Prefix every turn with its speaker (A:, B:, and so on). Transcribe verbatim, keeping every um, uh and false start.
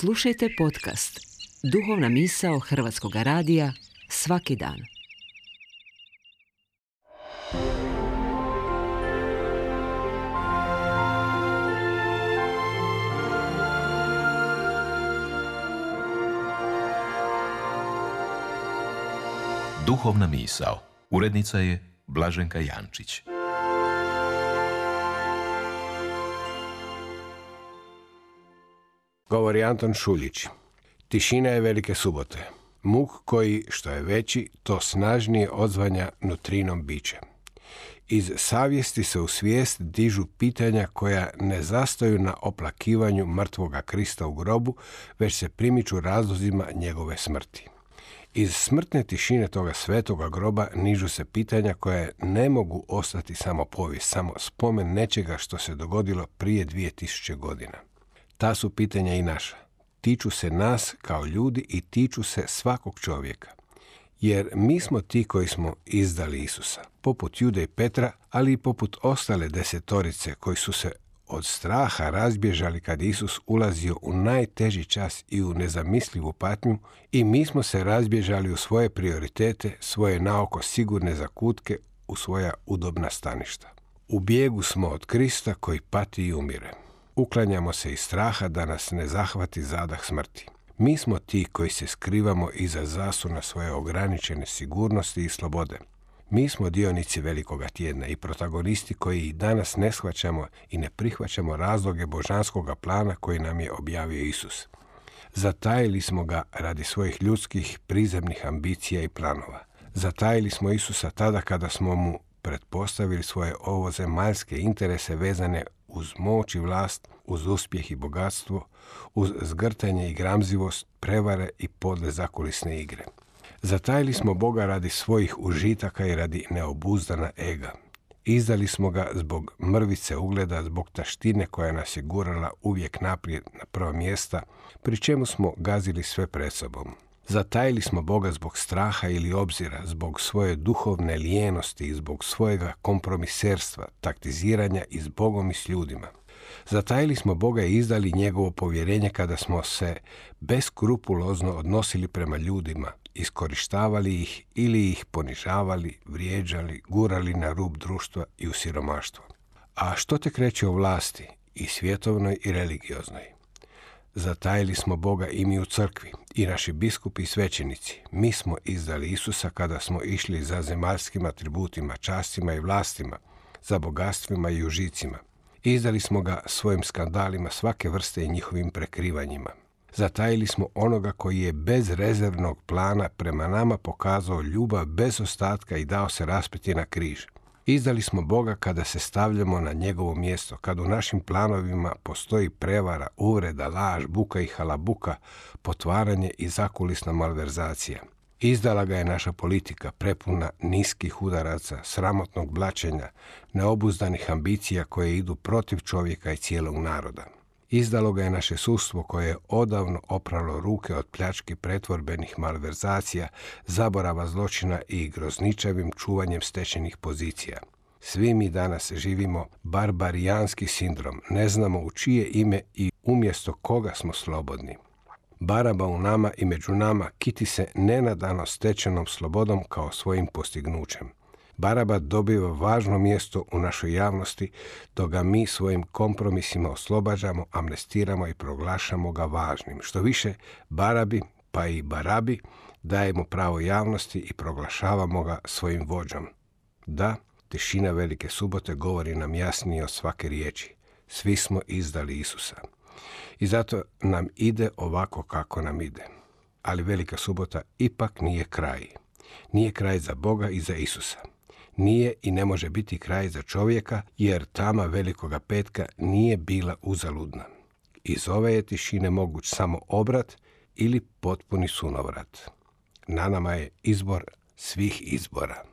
A: Slušajte podcast Duhovna misao Hrvatskog radija svaki dan.
B: Duhovna misao. Urednica je Blaženka Jančić.
C: Govori Anton Šuljić. Tišina je velike subote. Muk koji, što je veći, to snažnije odzvanja nutrinom biće. Iz savjesti se u svijest dižu pitanja koja ne zastaju na oplakivanju mrtvoga Krista u grobu, već se primiču razlozima njegove smrti. Iz smrtne tišine toga svetoga groba nižu se pitanja koja ne mogu ostati samo povijest, samo spomen nečega što se dogodilo prije dvije tisuće godina. Ta su pitanja i naša. Tiču se nas kao ljudi i tiču se svakog čovjeka. Jer mi smo ti koji smo izdali Isusa, poput Jude i Petra, ali i poput ostale desetorice koji su se od straha razbježali kad Isus ulazio u najteži čas i u nezamislivu patnju, i mi smo se razbježali u svoje prioritete, svoje naoko sigurne zakutke, u svoja udobna staništa. U bijegu smo od Krista koji pati i umire. Uklanjamo se iz straha da nas ne zahvati zadah smrti. Mi smo ti koji se skrivamo iza zasuna svoje ograničene sigurnosti i slobode. Mi smo dionici velikoga tjedna i protagonisti koji i danas ne shvaćamo i ne prihvaćamo razloge božanskoga plana koji nam je objavio Isus. Zatajili smo ga radi svojih ljudskih prizemnih ambicija i planova. Zatajili smo Isusa tada kada smo mu pretpostavili svoje ovozemaljske interese vezane uz moć i vlast, uz uspjeh i bogatstvo, uz zgrtanje i gramzivost, prevare i podle zakulisne igre. Zatajili smo Boga radi svojih užitaka i radi neobuzdana ega. Izdali smo ga zbog mrvice ugleda, zbog taštine koja nas je gurala uvijek naprijed na prva mjesta, pri čemu smo gazili sve pred sobom. Zatajili smo Boga zbog straha ili obzira, zbog svoje duhovne lijenosti i zbog svojega kompromiserstva, taktiziranja i s Bogom i s ljudima. Zatajili smo Boga i izdali njegovo povjerenje kada smo se beskrupulozno odnosili prema ljudima, iskorištavali ih ili ih ponižavali, vrijeđali, gurali na rub društva i u siromaštvo. A što tek reći o vlasti, i svjetovnoj i religioznoj? Zatajili smo Boga i mi u crkvi, i naši biskupi i svećenici. Mi smo izdali Isusa kada smo išli za zemaljskim atributima, častima i vlastima, za bogatstvima i užicima. Izdali smo ga svojim skandalima svake vrste i njihovim prekrivanjima. Zatajili smo onoga koji je bez rezervnog plana prema nama pokazao ljubav bez ostatka i dao se raspeti na križ. Izdali smo Boga kada se stavljamo na njegovo mjesto, kad u našim planovima postoji prevara, uvreda, laž, buka i halabuka, potvaranje i zakulisna malverzacija. Izdala ga je naša politika, prepuna niskih udaraca, sramotnog blaćenja, neobuzdanih ambicija koje idu protiv čovjeka i cijelog naroda. Izdalo ga je naše sudstvo koje je odavno opralo ruke od pljački pretvorbenih malverzacija, zaborava zločina i grozničavim čuvanjem stečenih pozicija. Svi mi danas živimo barbarijanski sindrom, ne znamo u čije ime i umjesto koga smo slobodni. Baraba u nama i među nama kiti se nenadano stečenom slobodom kao svojim postignućem. Baraba dobiva važno mjesto u našoj javnosti, dok ga mi svojim kompromisima oslobađamo, amnestiramo i proglašamo ga važnim. Što više, Barabi, pa i Barabi, dajemo pravo javnosti i proglašavamo ga svojim vođom. Da, tišina velike subote govori nam jasnije od svake riječi. Svi smo izdali Isusa. I zato nam ide ovako kako nam ide. Ali velika subota ipak nije kraj. Nije kraj za Boga i za Isusa. Nije i ne može biti kraj za čovjeka, jer tama velikoga petka nije bila uzaludna. Iz ove je tišine moguć samo obrat ili potpuni sunovrat. Na nama je izbor svih izbora.